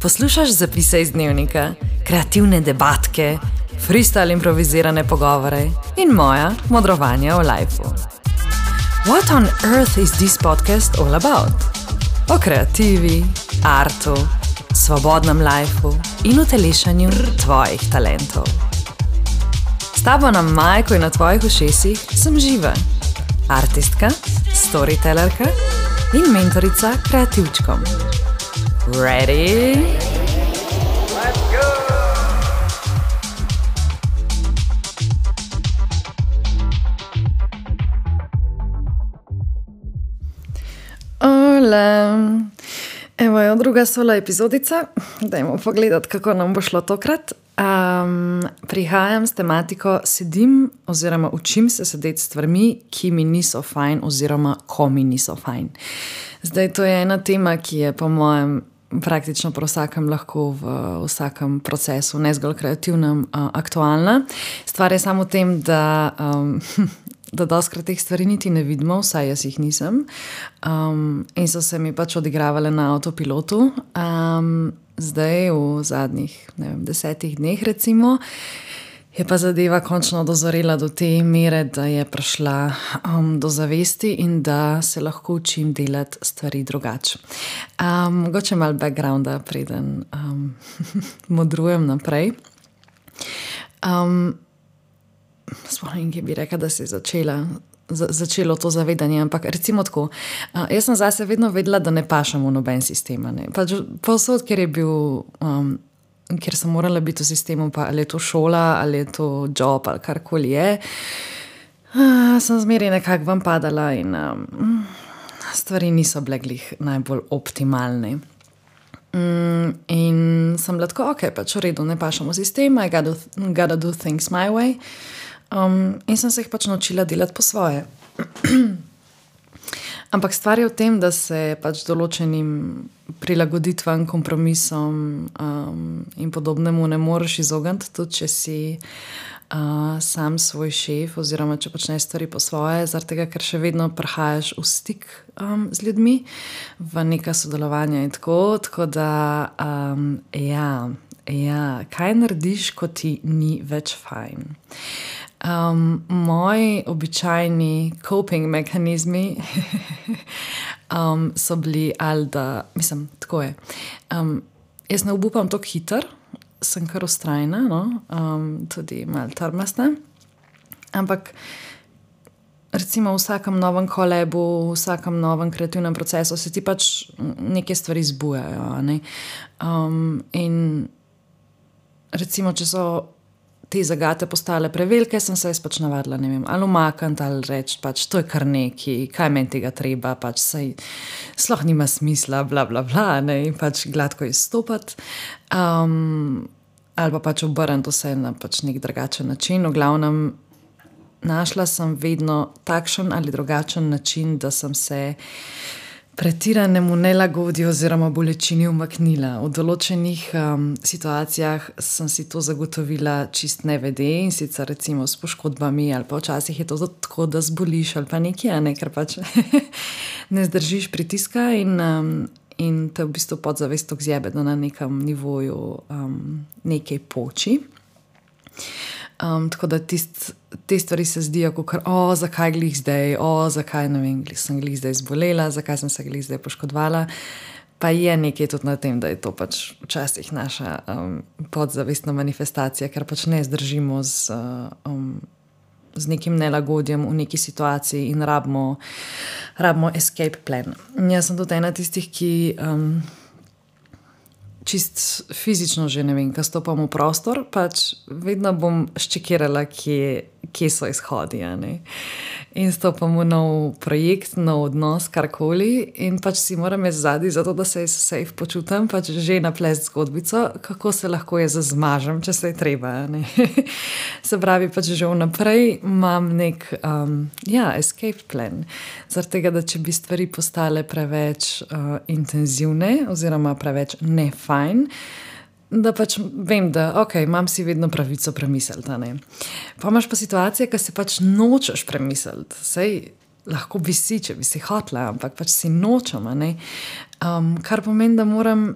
Poslušaš zapise iz dnevnika, kreativne debatke, freestyle improvizirane pogovore in moja modrovanja o lifeu. What on earth is this podcast all about? O kreativi, artu, svobodnem lifeu in utelešanju tvojih talentov. S tabo na majku in na tvojih ušesih sem Živa, artistka, storytellerka in mentorica kreativčkom. Ready? Let's go! Hola! Evo je druga sola epizodica. Dajmo pogledati, kako nam bo šlo tokrat. Prihajam s tematiko sedim oziroma učim se sedeti s stvarmi, ki mi niso fajn oziroma ko mi niso fajn. Zdaj, to je ena tema, ki je po mojem praktično pri vsakem lahko v vsakem procesu, ne zgolj kreativnem, aktualna. Stvar je samo v tem, da dostikrat teh stvari niti ne vidimo, vsaj jaz jih nisem. In so se mi pač odigravale na avtopilotu. Zdaj v zadnjih 10 dneh recimo je pa zadeva končno dozorela do te mere, da je prišla do zavesti in da se lahko učim delati stvari drugače. Mogoče malo backgrounda, preden modrujem naprej. Spomnim, ki bi rekla, da se je začelo to zavedanje, ampak recimo tako, jaz sem zase vedno vedela, da ne pašem v noben sistem. Pač povsod, kjer sem morala biti v sistemu, pa ali je to šola, ali je to job, ali karkoli je, sem zmeraj nekako vam padala in stvari niso bile glih najbolj optimalne. In sem bila tako, ok, pač v redu, ne pašem v sistem, I gotta do things my way. In sem se jih pač naučila delati po svoje. Ampak stvar je v tem, da se pač določenim prilagoditvam, kompromisom in podobnemu ne moreš izogniti, tudi če si sam svoj šef oziroma če počneš stvari po svoje, zaradi tega, ker še vedno prihajaš v stik z ljudmi, v neka sodelovanja in tako da kaj narediš, ko ti ni več fajn? Moji običajni coping mehanizmi so bili ali da, mislim, tako je. Jaz ne obupam toliko hiter, sem kar vztrajna, no? Tudi malo trmasta, ampak recimo v vsakem novem kolebu, v vsakem novem kreativnem procesu se ti pač neke stvari zbujajo, ne? In recimo, če so te zagate postale prevelike, sem se pač navadila, ne vem, ali umakniti, ali reči, pač to je kar neki, kaj meni tega treba, pač saj sploh nima smisla, bla, bla, bla, ne, in pač gladko izstopati. Ali pa pač obrniti vse na pač nek drugačen način. V glavnem, našla sem vedno takšen ali drugačen način, da sem se pretiranemu nelagodju oziroma bolečini umaknila. V določenih situacijah sem si to zagotovila čist nevede, in sicer recimo s poškodbami, ali pa včasih je to tako, da zboliš ali pa nekaj, ne, ker pač ne zdržiš pritiska in te v bistvu podzavest tako zjebe, da na nekem nivoju nekaj poči. Tako da te stvari se zdijo kakor, zakaj glih zdaj, zakaj, ne vem, sem glih zdaj zbolela, zakaj sem se glih zdaj poškodovala. Pa je nekaj tudi na tem, da je to pač včasih naša podzavestna manifestacija, ker pač ne zdržimo z nekim nelagodjem v neki situaciji in rabimo escape plan. Jaz sem tudi ena tistih, ki čist fizično že, ne vem, ko stopam v prostor, pač vedno bom ščekirala, kje so izhodi, ne. In stopam v nov projekt, nov odnos, karkoli, in pač si moram jaz zadnji, zato da se safe počutam, pač že naplest zgodbico, kako se lahko jaz zmažem, če se je treba, ne. Se pravi, pač že vnaprej imam nek escape plan. Zaradi tega, da če bi stvari postale preveč intenzivne oziroma preveč nefajn, da pač vem, da imam si vedno pravico premisliti, ne. Pa imaš pa situacije, ki se pač nočeš premisliti. Sej lahko bi si, če bi si hotela, ampak pač si nočem, ne. Kar pomeni, da moram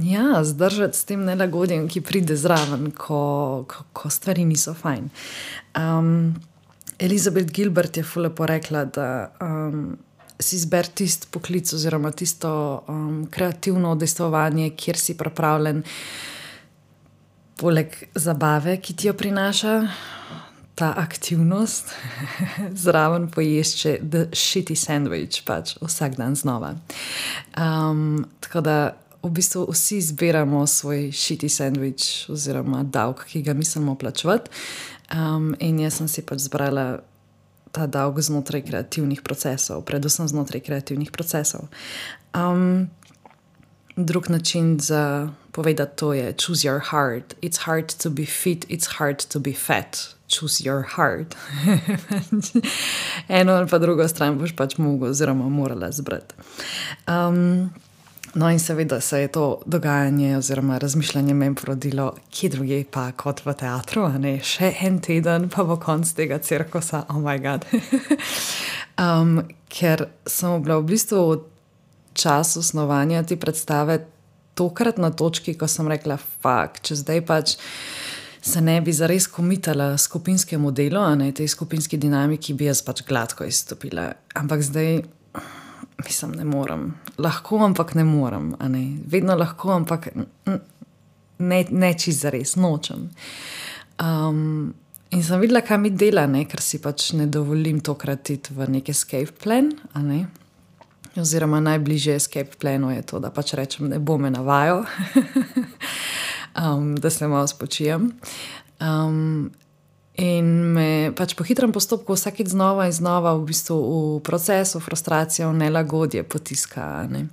ja, zdržati s tem nelagodjem, ki pride zraven, ko stvari niso fajn. Elizabeth Gilbert je ful lepo rekla, da si izber tisti poklic oziroma tisto kreativno udejstvovanje, kjer si pripravljen poleg zabave, ki ti jo prinaša ta aktivnost, zraven pojesti še the shitty sandwich, pač vsak dan znova. Tako da v bistvu vsi izbiramo svoj shitty sandwich oziroma davek, ki ga mislimo plačevati. In jaz sem si pač zbrala ta davek znotraj kreativnih procesov, predvsem znotraj kreativnih procesov. Drug način za povedati to je choose your heart. It's hard to be fit, it's hard to be fat. Choose your heart. Eno ali pa drugo stran boš pač mogel oziroma morala zbrati. No in seveda se je to dogajanje oziroma razmišljanje meni porodilo kje drugje pa kot v teatru, a ne? Še en teden pa bo konc tega cirkusa, oh my god. Ker sem bila v bistvu v času snovanja te predstave tokrat na točki, ko sem rekla, fuck, če zdaj pač se ne bi zares komitala skupinskemu delu, a ne, tej skupinski dinamiki bi jaz pač gladko izstopila. Ampak zdaj, mislim, ne morem. Lahko, ampak ne morem, a ne. Vedno lahko, ampak ne čist zares, nočem. In sem videla, kaj mi dela, ne, ker si pač ne dovolim tokrat iti v nek escape plan, a ne. Oziroma najbližje escape planu je to, da pač rečem, ne bo me navajal. Da se malo spočijem. In me pač po hitrem postopku vsakič znova in znova v bistvu v procesu frustracijo, nelagodje potiska. Ne?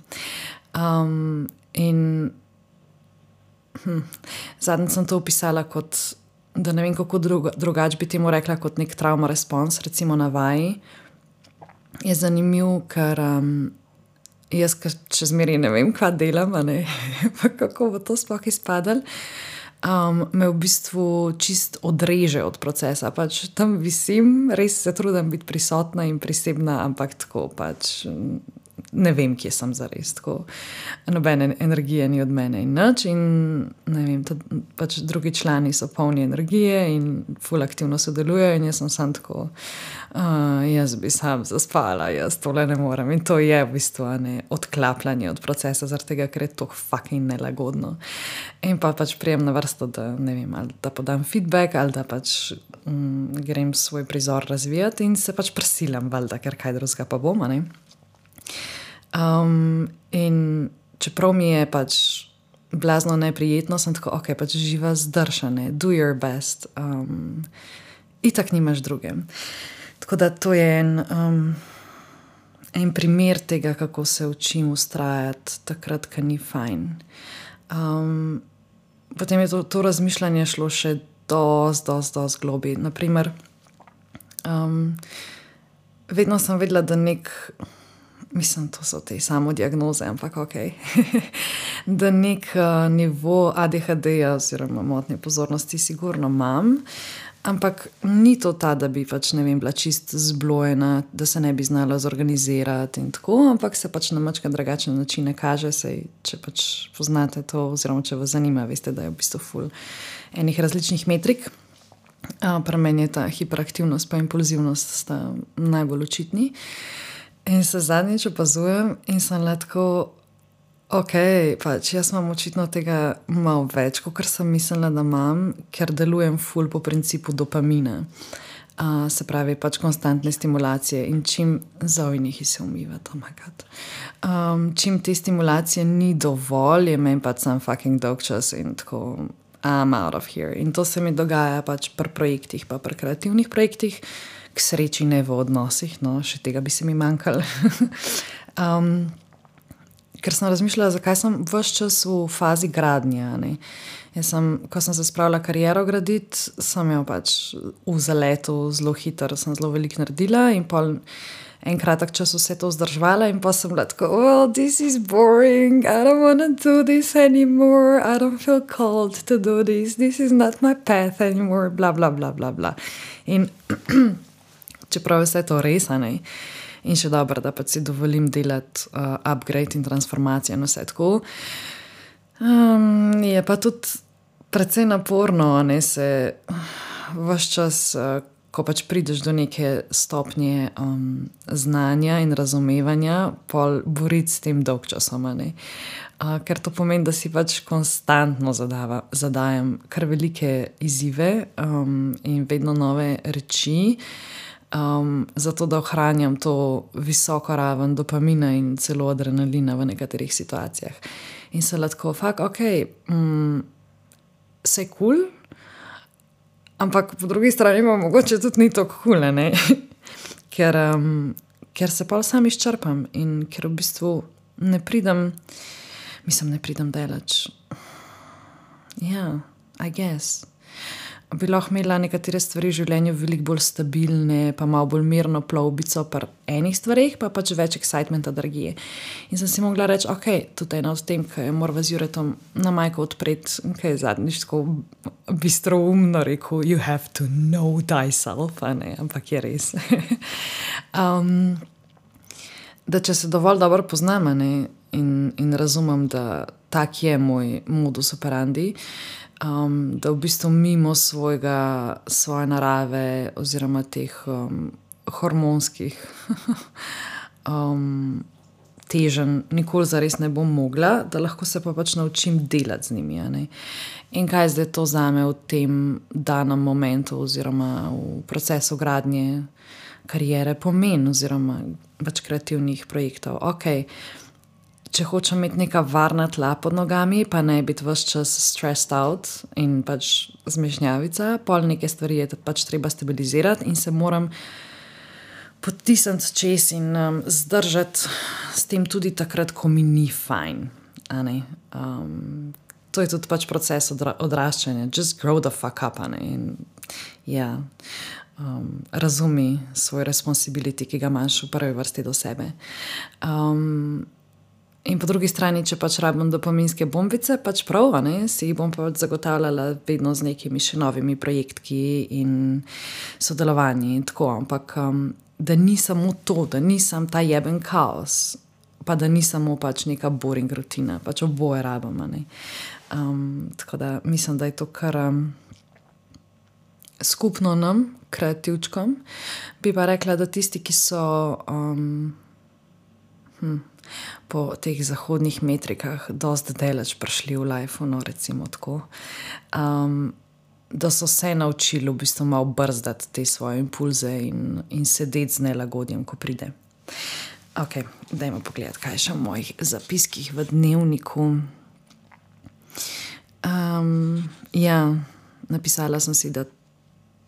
Zadnjič sem to opisala kot, da ne vem kako drugače bi temu rekla, kot nek trauma response, recimo na vaji. Je zanimiv, ker jaz še zmeraj ne vem, kaj delam, ne? Pa kako bo to sploh izpadalo. Me v bistvu čist odreže od procesa. Pač tam visim, res se trudim biti prisotna in prisebna, ampak tako pač ne vem, kje sem zares. Tako nobene energije ni od mene in nič. In ne vem, pač drugi člani so polni energije in ful aktivno sodelujejo in jaz sem sam tako, jaz bi sam zaspala, jaz tole ne morem. In to je v bistvu odklapljanje od procesa, zaradi tega, ker je to fucking nelagodno. In pa pač prijem na vrsto, da ne vem, ali da podam feedback, ali da pač grem svoj prizor razvijati in se pač prisilam, valjda, ker kaj drugega pa bom, ne. In čeprav mi je pač blazno neprijetno, sem tako, ok, pač živa zdršane, do your best. Itak nimaš druge. Tako da to je en primer tega, kako se učim ustrajati takrat, ko ni fajn. Potem je to razmišljanje šlo še dosti globi. Naprimer, vedno sem vedela, da mislim, to so te samodiagnoze, ampak ok, da nek nivo ADHD-ja oziroma motnje pozornosti sigurno imam, ampak ni to ta, da bi pač, ne vem, bila čist zblojena, da se ne bi znala zorganizirati in tako, ampak se pač na mačka drugačne načine kaže, sej, če pač poznate to oziroma če vas zanima, veste, da je v bistvu ful enih različnih metrik. Pri meni je ta hiperaktivnost pa impulzivnost sta najbolj očitni. In se zadnjič opazujem in sem tako, ok, pač jaz imam očitno tega malo več, kot sem mislila, da imam, ker delujem ful po principu dopamina. Se pravi, pač konstantne stimulacije in čim zojnihi se umivati, oh my god. Čim te stimulacije ni dovolj, je meni pač sam fucking dolgčas in tako, I'm out of here. In to se mi dogaja pač pri projektih, pa pri kreativnih projektih, k sreči ne v odnosih, no, še tega bi se mi manjkalo. Ker sem razmišljala, zakaj sem ves čas v fazi gradnje, ne. Ko sem se spravila kariero graditi, sem jo pač v zaletu zelo hitro, sem zelo veliko naredila in pol en kratek čas vse to vzdrževala in pa sem bila tako, well, this is boring, I don't want to do this anymore, I don't feel called to do this is not my path anymore, bla, bla, bla, bla, bla. In čeprav je vse to res, ne, in še dobro, da pač si dovolim delati upgrade in transformacijo in vse tako, Je pa tudi precej naporno, ne se ves čas, ko pač prideš do neke stopnje znanja in razumevanja, pol boriti s tem dolg časoma. Ker to pomeni, da si pač konstantno zadajam kar velike izzive in vedno nove reči, zato da ohranjam to visoko raven dopamina in celo adrenalina v nekaterih situacijah. In se lahko, ok, vse je kul, ampak po drugi strani pa mogoče tudi ni tako kul, ker se pa sam izčrpam in ker v bistvu ne pridem daleč. Ja, I guess. Bi lahko imela nekatere stvari v življenju veliko bolj stabilne, pa malo bolj mirno plovbico pri enih stvareh, pa pač več excitementa, energije. In sem si mogla reči, ok, tudi ena od tem, ki je morala z Juretom na majko odpreti, ki je zadnjič tako bistroumno rekel, you have to know thyself, ampak je res. Da če se dovolj dobro poznam in razumem, da tak je moj modus operandi, da v bistvu mimo svoje narave oziroma teh hormonskih teženj nikoli zares ne bom mogla, da lahko se pa pač naučim delati z njimi. In kaj zdaj to zame v tem danem momentu oziroma v procesu gradnje kariere pomeni oziroma pač kreativnih projektov. Ok, če hočem imeti neka varna tla pod nogami, pa ne biti ves čas stressed out in pač zmešnjavica, pol neke stvari je pač treba stabilizirati in se moram potisniti čez in zdržati s tem tudi takrat, ko mi ni fajn. To je tudi pač proces odraščanja. Just grow the fuck up. In ja, razumi svoj responsibility, ki ga imaš v prvi vrsti do sebe. In po drugi strani, če pač rabim dopaminske bombice, pač prav, si jih bom pač zagotavljala vedno z nekimi še novimi projektki in sodelovanji in tako, ampak da ni samo to, da ni samo ta jeben kaos, pa da ni samo pač neka boring rutina, pač oboje rabim. Tako da mislim, da je to kar skupno nam, kreativčkom. Bi pa rekla, da tisti, ki so po teh zahodnih metrikah dosti daleč prišli v lifeu, recimo tako, da so se naučili v bistvu malo brzdati te svoje impulze in sedeti z nelagodjem, ko pride. Ok, dajmo pogledati, kaj je še v mojih zapiskih v dnevniku. Ja, napisala sem si, da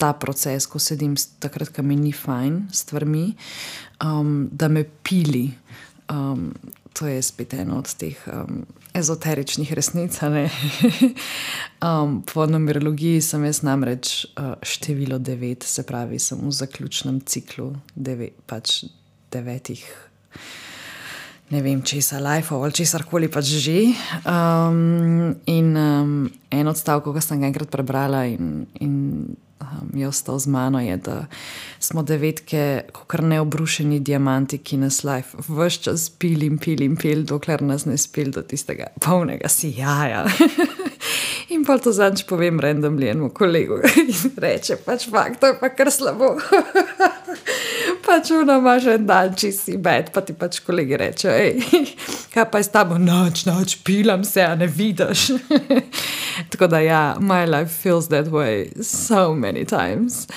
ta proces, ko sedim takrat, ko mi ni fajn s stvarmi, da me pili. To je spet eno od teh ezoteričnih resnic. Po numerologiji sem jaz namreč število 9, se pravi, sem v zaključnem ciklu 9, ne vem, česa lifeov ali česarkoli pač že. In en odstavek, ko sem ga enkrat prebrala in je ostal z mano, je, da smo 9 kakor neobrušeni diamanti, ki nas life ves čas pil, dokler nas ne spil do tistega polnega sijaja. In pa to zadnjič povem randomly enemu kolegu in reče, pač fakt, to je pa kar slabo. Pač ona imaš en dan, če si bed, pa ti pač kolegi reče, kaj pa je s tabo? Noč, pilam se, a ne vidiš. Tako da ja, my life feels that way so many times.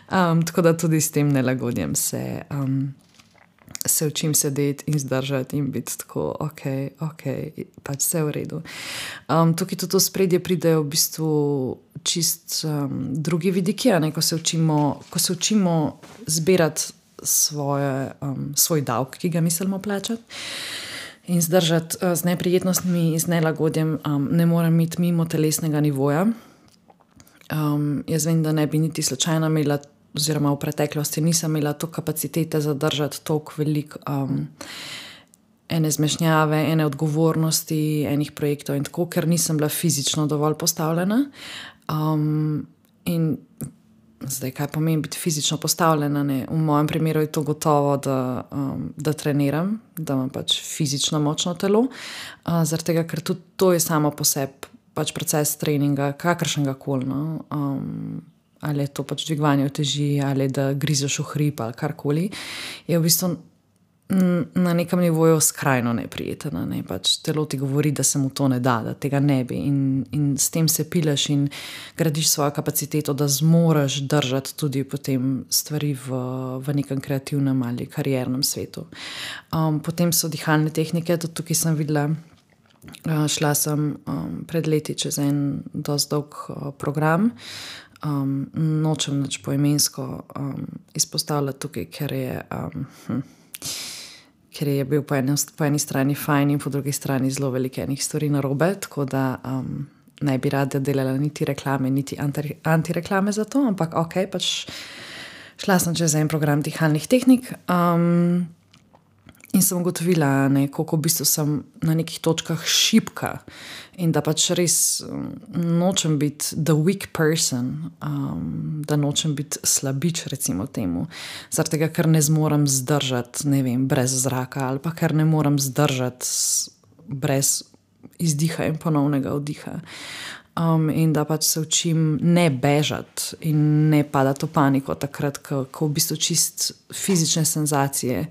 Tako da tudi s tem nelagodjem se učim sedeti in zdržati in biti tako, ok, pač vse v redu. Tukaj tudi v spredje pridejo v bistvu čist drugi vidiki, ko se učimo zbirati svoj davek, ki ga mislimo plačati in zdržati z neprijetnostmi in z nelagodjem, ne morem iti mimo telesnega nivoja. Jaz vem, da ne bi niti slučajno imela, oziroma v preteklosti nisem imela to kapacitete zadržati toliko veliko ene zmešnjave, ene odgovornosti, enih projektov in tako, ker nisem bila fizično dovolj postavljena. In zdaj, kaj pomeni biti fizično postavljena. Ne? V mojem primeru je to gotovo, da treniram, da imam pač fizično močno telo, zaradi tega, ker tudi to je samo po sebi pač proces treninga, kakršnega koli. No? Ali je to pač dvigovanje uteži, ali da grizeš v hrib, ali karkoli, je v bistvu na nekem nivoju skrajno neprijetno. Ne? Pač telo ti govori, da se mu to ne da, da tega ne bi. In s tem se pileš in gradiš svojo kapaciteto, da zmoreš držati tudi potem stvari v nekem kreativnem ali kariernem svetu. Potem so dihalne tehnike, tudi tukaj sem videla. Šla sem pred leti čez en dosti dolg program. Nočem nič poimensko izpostavljati tukaj, ker je bil po eni strani fajn in po drugi strani zelo veliko enih stvari narobe, tako da ne bi rada delala niti reklame, niti antireklame za to, ampak ok, pač šla sem čez en program dihalnih tehnik. In sem ugotovila, koliko v bistvu sem na nekih točkah šibka in da pač res nočem biti the weak person, da nočem biti slabič, recimo temu. Zaradi tega, ker ne zmorem zdržati, ne vem, brez zraka ali pa ker ne morem zdržati brez izdiha in ponovnega vdiha. In da pač se učim ne bežati in ne padati v paniko takrat, ko v bistvu čist fizične senzacije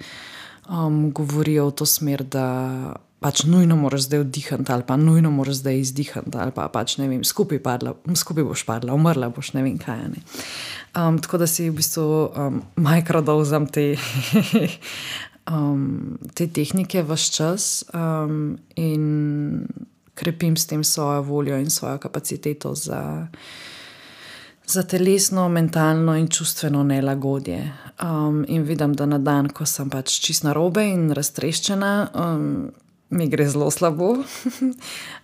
govorijo v to smer, da pač nujno moraš zdaj vdihati ali pa nujno moraš zdaj izdihati ali pa pač ne vem, skupaj boš padla, umrla boš, ne vem kaj. Ne. Tako da si v bistvu mikrodozam te tehnike ves čas in krepim s tem svojo voljo in svojo kapaciteto za telesno, mentalno in čustveno nelagodje. In vidim, da na dan, ko sem pač čist narobe in raztreščena, mi gre zelo slabo.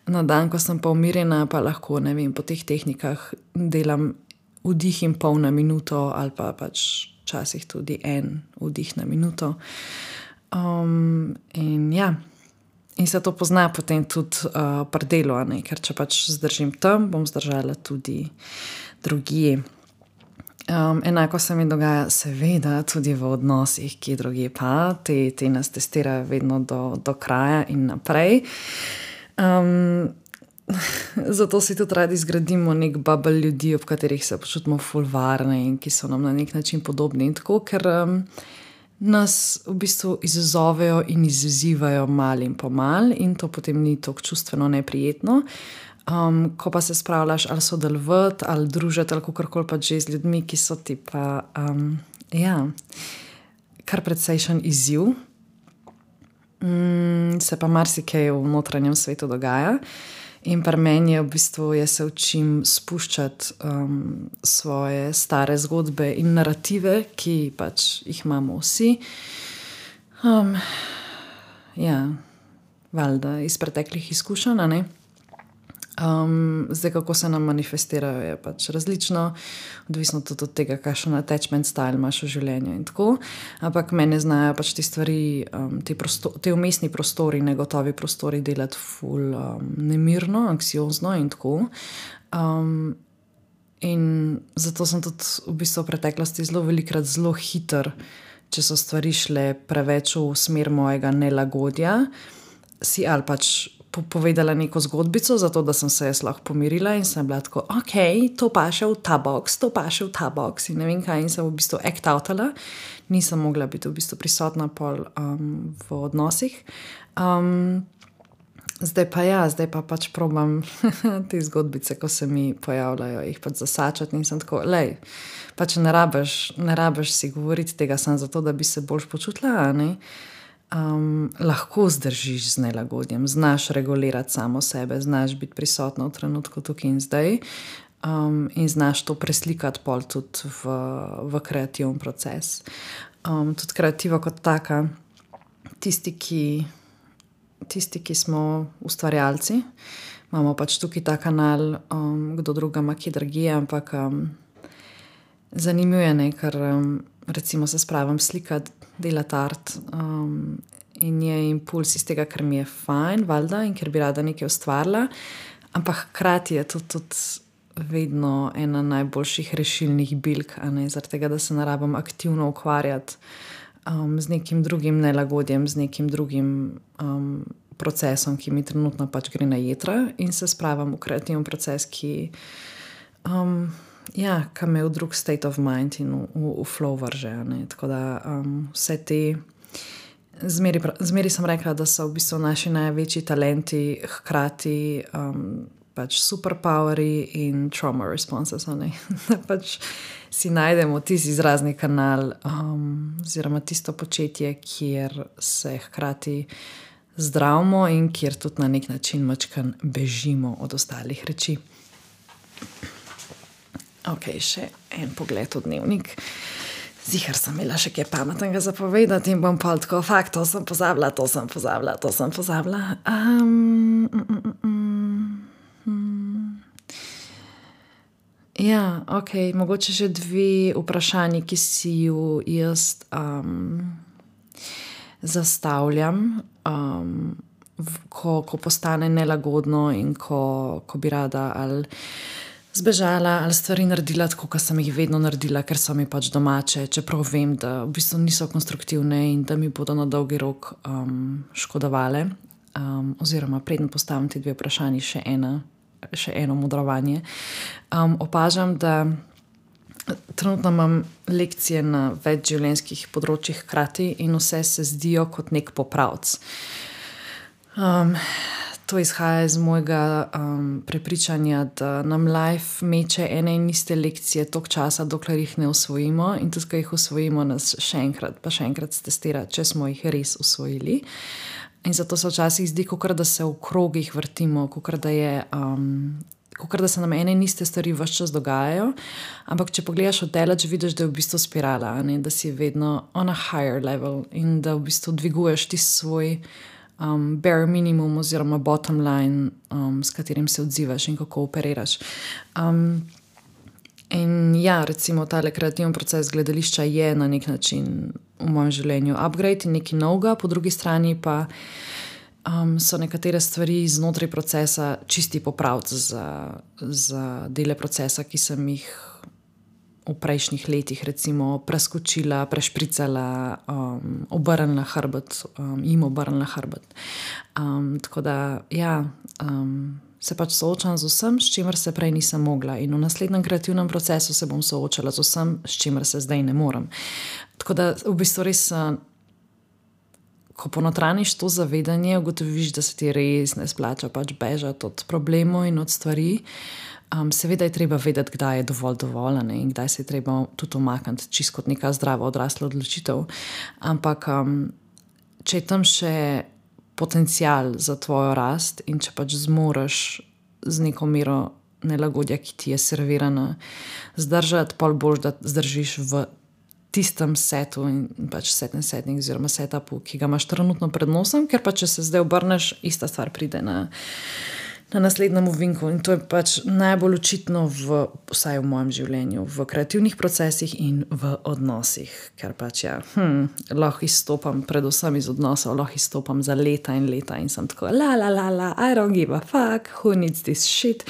Na dan, ko sem pa umirjena, pa lahko, ne vem, po teh tehnikah delam vdih in pol na minuto ali pa pač včasih tudi en vdih na minuto. In ja, in se to pozna potem tudi pri delu, ker če pač zdržim tam, bom zdržala tudi drugje. Enako se mi dogaja seveda tudi v odnosih, ki drugje pa, te nas testirajo vedno do kraja in naprej. Zato si tudi radi zgradimo nek bubble ljudi, ob katerih se počutimo ful varne in ki so nam na nek način podobni in tako, ker nas v bistvu izzovejo in izzivajo mal in pomal in to potem ni tako čustveno neprijetno. Ko pa se spravljaš ali sodelovati ali družiti ali kakorkoli pa že z ljudmi, ki so ti pa kar precejšen izziv, se pa marsikaj v notranjem svetu dogaja. In pri meni je v bistvu, jaz se učim spuščati svoje stare zgodbe in narative, ki pač jih imamo vsi. Valjda iz preteklih izkušenj, ne? Zdaj, kako se nam manifestirajo, je pač različno, odvisno tudi od tega, kakšen attachment style imaš v življenju in tako, ampak mene znajo pač te stvari, te vmesni prostori, negotovi prostori delati ful nemirno, anksiozno in tako. In zato sem tudi v bistvu v preteklosti zelo velikrat zelo hiter, če so stvari šle preveč v smer mojega nelagodja, si ali pač povedala neko zgodbico, zato da sem se jaz lahko pomirila in sem bila tako, ok, to paše v ta box in ne vem kaj, in sem v bistvu act outala, nisem mogla biti v bistvu prisotna pol v odnosih. Zdaj pa pač probam te zgodbice, ko se mi pojavljajo, jih pač zasačati in sem tako, lej, pač ne rabiš si govoriti tega samo zato, da bi se boljš počutila, ne? Lahko zdržiš z nelagodjem, znaš regulirati samo sebe, znaš biti prisotna v trenutku tukaj in zdaj in znaš to preslikati pol tudi v kreativen proces. Tudi kreativa kot taka, tisti, ki smo ustvarjalci, imamo pač tukaj ta kanal, kdo druga ima kje drugje, ampak zanimivo je, ker recimo se spravim slikati, delati art in je impuls iz tega, ker mi je fajn, valjda, in ker bi rada nekaj ustvarila, ampak hkrati je to tudi vedno ena najboljših rešilnih bilk, zaradi tega, da se ne rabim aktivno ukvarjati z nekim drugim nelagodjem, z nekim drugim procesom, ki mi trenutno pač gre na jetra, in se spravim v kreativen proces, ki me v drug state of mind in v flow vrže. Tako da vse te zmeri sem rekla, da so v bistvu naši največji talenti hkrati pač superpoweri in trauma responses, da pač si najdemo tisti izrazni kanal oziroma tisto početje, kjer se hkrati zdravimo in kjer tudi na nek način mačkan bežimo od ostalih reči. Ok, še en pogled v dnevnik. Zihar sem imela še kaj pametnega za povedati in bom pol tako, to sem pozabila. Ja, ok, mogoče še 2 vprašanji, ki si ju jaz zastavljam, ko postane nelagodno in ko bi rada ali zbežala ali stvari naredila tako, kot sem jih vedno naredila, ker so mi pač domače, čeprav vem, da v bistvu niso konstruktivne in da mi bodo na dolgi rok škodovale. Oziroma, preden postavim ti 2 vprašanji, še eno modrovanje. Opažam, da trenutno imam lekcije na več življenjskih področjih hkrati in vse se zdijo kot nek popravc. To izhaja iz mojega prepričanja, da nam life meče ene in iste lekcije toliko časa, dokler jih ne usvojimo, in tudi, ko jih usvojimo, nas še enkrat stestira, če smo jih res usvojili. In zato se včasih zdi, kakor da se v krogih vrtimo, kakor da se nam ene in iste stvari ves čas dogajajo, ampak če pogledaš od daleč, vidiš, da je v bistvu spirala, da si vedno on a higher level in da v bistvu dviguješ tisti svoj bare minimum oziroma bottom line, s katerim se odzivaš in kako operiraš. In ja, recimo tale kreativen proces gledališča je na nek način v mojem življenju upgrade in nekaj novega, po drugi strani pa so nekatere stvari znotraj procesa čisti popravci za dele procesa, ki sem jih v prejšnjih letih recimo preskočila, prešpricala, obrnila hrbet, obrnila hrbet. Tako da se pač soočam z vsem, s čimer se prej nisem mogla, in v naslednjem kreativnem procesu se bom soočala z vsem, s čimer se zdaj ne morem. Tako da v bistvu res, ko ponotraniš to zavedanje, ugotoviš, da se ti res ne splača pač bežati od problemov in od stvari. Seveda je treba vedeti, kdaj je dovolj in kdaj se je treba tudi umakniti, čisto kot neka zdrava odrasla odločitev. Ampak če je tam še potencial za tvojo rast in če pač zmoreš z neko mero nelagodja, ki ti je servirana, zdržati, pol boljš, da zdržiš v tistem setu in pač setting oziroma setupu, ki ga imaš trenutno pred nosom, ker pa če se zdaj obrneš, ista stvar pride na naslednjem ovinku, in to je pač najbolj očitno vsaj v mojem življenju, v kreativnih procesih in v odnosih, ker pač lahko izstopam predvsem iz odnosov, lahko izstopam za leta in leta in sem tako I don't give a fuck, who needs this shit?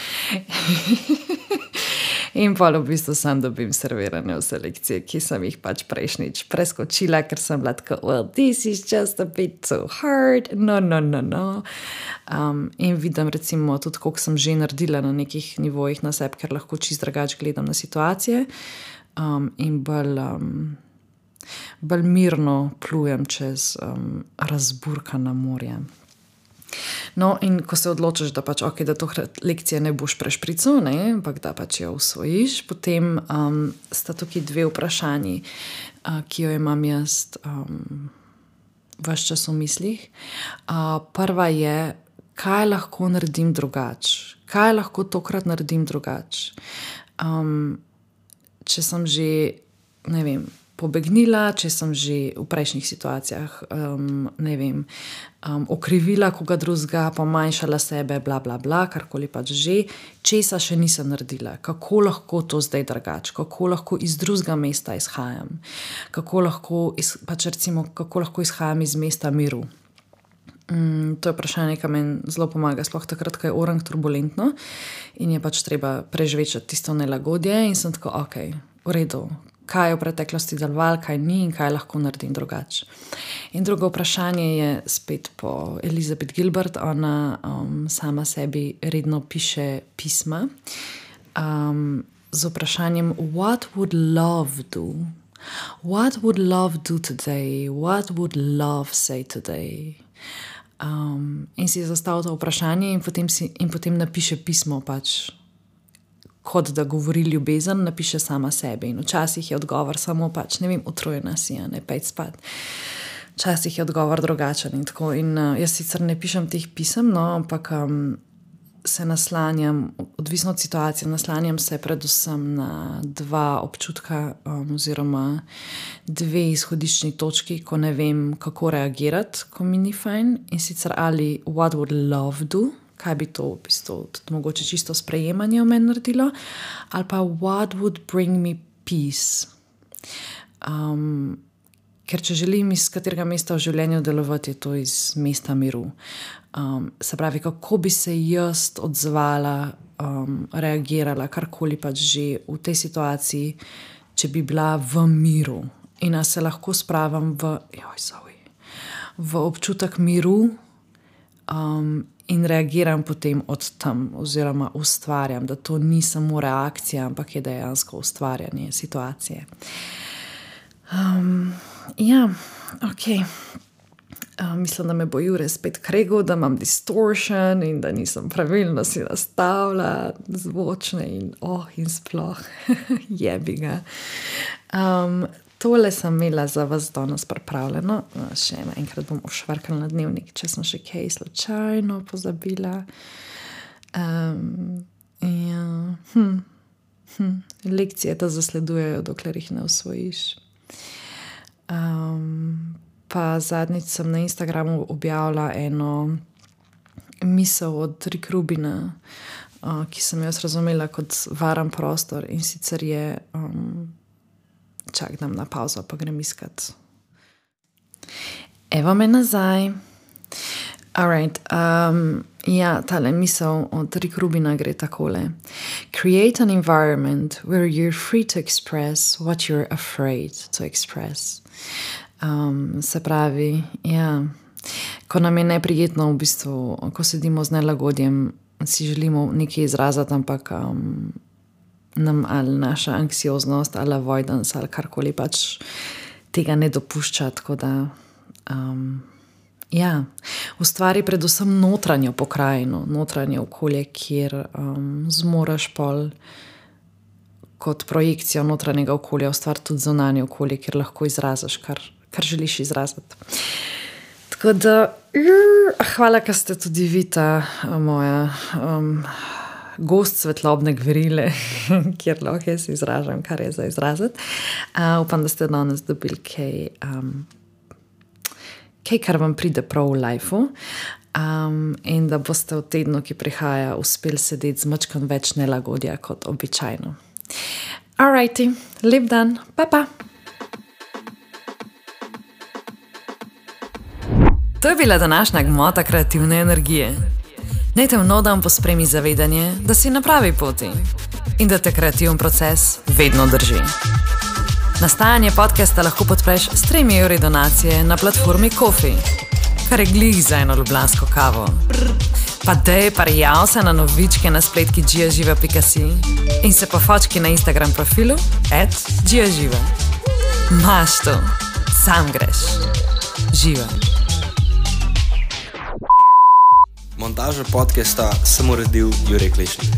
In pa v bistvu sam dobim servirane vse lekcije, ki sem jih pač prejšnjič preskočila, ker sem bila tako, well, this is just a bit too hard, no. In vidim recimo tudi, koliko sem že naredila na nekih nivojih na sebi, ker lahko čisto drugače gledam na situacije in bolj mirno plujem čez razburkana morja. No, in ko se odločiš, da pač da to lekcije ne boš prešprical, ampak da pač jo usvojiš, potem sta tukaj 2 vprašanji, ki jo imam jaz ves čas v mislih. Prva je, kaj lahko naredim drugače? Kaj lahko tokrat naredim drugače? Če sem že, ne vem, pobegnila, če sem že v prejšnjih situacijah, okrivila koga drugega, pomanjšala sebe, bla, bla, bla, karkoli pač že, česa še nisem naredila, kako lahko to zdaj drugače, kako lahko iz drugega mesta izhajam, kako lahko izhajam iz mesta miru. To je vprašanje, ki meni zelo pomaga, sploh takrat, ko je orang turbulentno. in je pač treba preživeti tisto nelagodje in sem tako, ok, v redu, kaj je v preteklosti delovalo, kaj ni in kaj lahko naredim drugače. In drugo vprašanje je spet po Elizabeth Gilbert, ona sama sebi redno piše pisma z vprašanjem what would love do? What would love do today? What would love say today? In si zastavlja to vprašanje in potem napiše pismo pač, kot da govori ljubezen, napiše sama sebi. In včasih je odgovor samo pač, ne vem, utrujena si, ne pejt spat. Včasih je odgovor drugačen in tako. In jaz sicer ne pišem teh pisem, no, ampak se naslanjam, odvisno od situacije, naslanjam se predvsem na dva občutka oziroma dve izhodiščni točki, ko ne vem, kako reagirati, ko mi ni fajn. In sicer ali what would love do, kaj bi to v bistvu tudi mogoče čisto sprejemanje v meni naredilo, ali pa what would bring me peace. Ker če želim iz katerega mesta v življenju delovati, je to iz mesta miru. Se pravi, kako bi se jaz odzvala, reagirala, karkoli pač že v tej situaciji, če bi bila v miru. In se lahko spravim v občutek miru in reagiram potem od tam oziroma ustvarjam, da to ni samo reakcija, ampak je dejansko ustvarjanje situacije. Ja, ok. Mislim, da me bo Jure spet kregal, da imam distortion in da nisem pravilno si nastavila zvočne in sploh jebi ga. Tole sem imela za vas danes pripravljeno. Še enkrat bom ošvrkala na dnevnik, če sem še kaj slučajno pozabila. Lekcije te zasledujejo, dokler jih ne osvojiš. Pa zadnjič sem na Instagramu objavila eno misel od Rick Rubina, ki sem jo razumela kot varen prostor in sicer je čak dam na pauzo, pa grem iskat. Evo me nazaj. Alright, ja, tale misel od Rick Rubina gre takole. Create an environment where you're free to express what you're afraid to express. Se pravi, ja, ko nam je neprijetno v bistvu, ko sedimo z nelagodjem, si želimo nekaj izraziti, ampak nam ali naša anksioznost ali avoidance ali karkoli pač tega ne dopušča, tako da ja, ustvari predvsem notranjo pokrajino, notranje okolje, kjer zmoreš pol kot projekcijo notranjega okolja ustvariti tudi zunanje okolje, kjer lahko izraziš, kar želiš izraziti. Tako da, hvala, ker ste tudi vi ta moja gost svetlobne gverile, kjer lahko jaz izražam, kar je za izraziti. Upam, da ste danes dobili kaj, kar vam pride prav v lifeu, in da boste v tednu, ki prihaja, uspeli sedeti z mačkam več nelagodja kot običajno. Alrighty, lep dan, pa. To je bila današnja gmota kreativne energije. Naj te v nov dan pospremi zavedanje, da si na pravi poti in da te kreativen proces vedno drži. Nastajanje podcasta lahko podpreš s 3 evri donacije na platformi Ko-fi, kar je glih za eno ljubljansko kavo. Pa dej prijav se na novičke na spletki giaživa.si in se pofočki na Instagram profilu @giaživa. Maš to, sam greš. Živa. Montažo podcasta sem uredil Jure Klešnik.